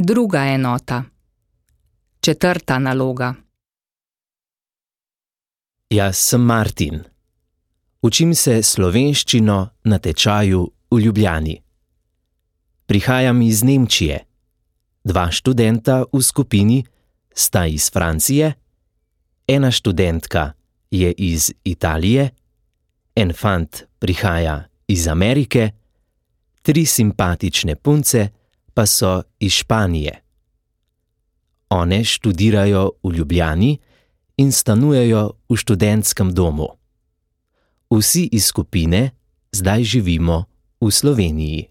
Druga enota. Četrta naloga. Jaz sem Martin. Učim se slovenščino na tečaju v Ljubljani. Prihajam iz Nemčije. 2 študenta v skupini sta iz Francije, ena študentka je iz Italije, en fant prihaja iz Amerike, 3 simpatične punce pa so iz Španije. One študirajo v Ljubljani in stanujejo v študentskem domu. Vsi iz skupine zdaj živimo v Sloveniji.